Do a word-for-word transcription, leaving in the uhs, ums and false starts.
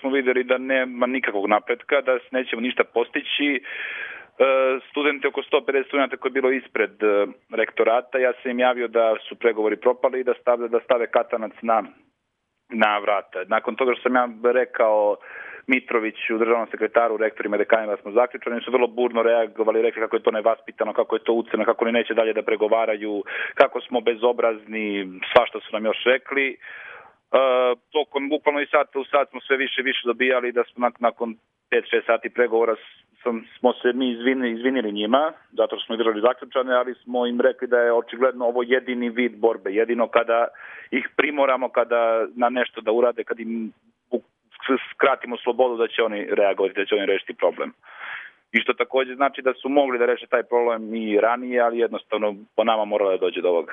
smo vidjeli da nema nikakvog napretka, da nećemo ništa postići. Studenti, oko sto pedeset studenta koji je bilo ispred rektorata, ja sam im javio da su pregovori propali i da stave, da stave katanac na, na vrata. Nakon toga što sam ja rekao Mitroviću, državnom sekretaru, rektorima i dekanima da smo zaključani, su vrlo burno reagovali, rekli kako je to nevaspitano, kako je to ucena, kako oni neće dalje da pregovaraju, kako smo bezobrazni, svašta su nam još rekli. Uh, tokom bukvalno i sata u sat smo sve više i više dobijali da smo nakon pet šest sati pregovora sam, smo se mi izvinili, izvinili njima, zato što smo ih držali zaključane, ali smo im rekli da je očigledno ovo jedini vid borbe, jedino kada ih primoramo kada na nešto da urade, kad im skratimo slobodu da će oni reagovati, da će oni rešiti problem. I što također znači da su mogli da reše taj problem i ranije, ali jednostavno po nama moralo da dođe do ovoga.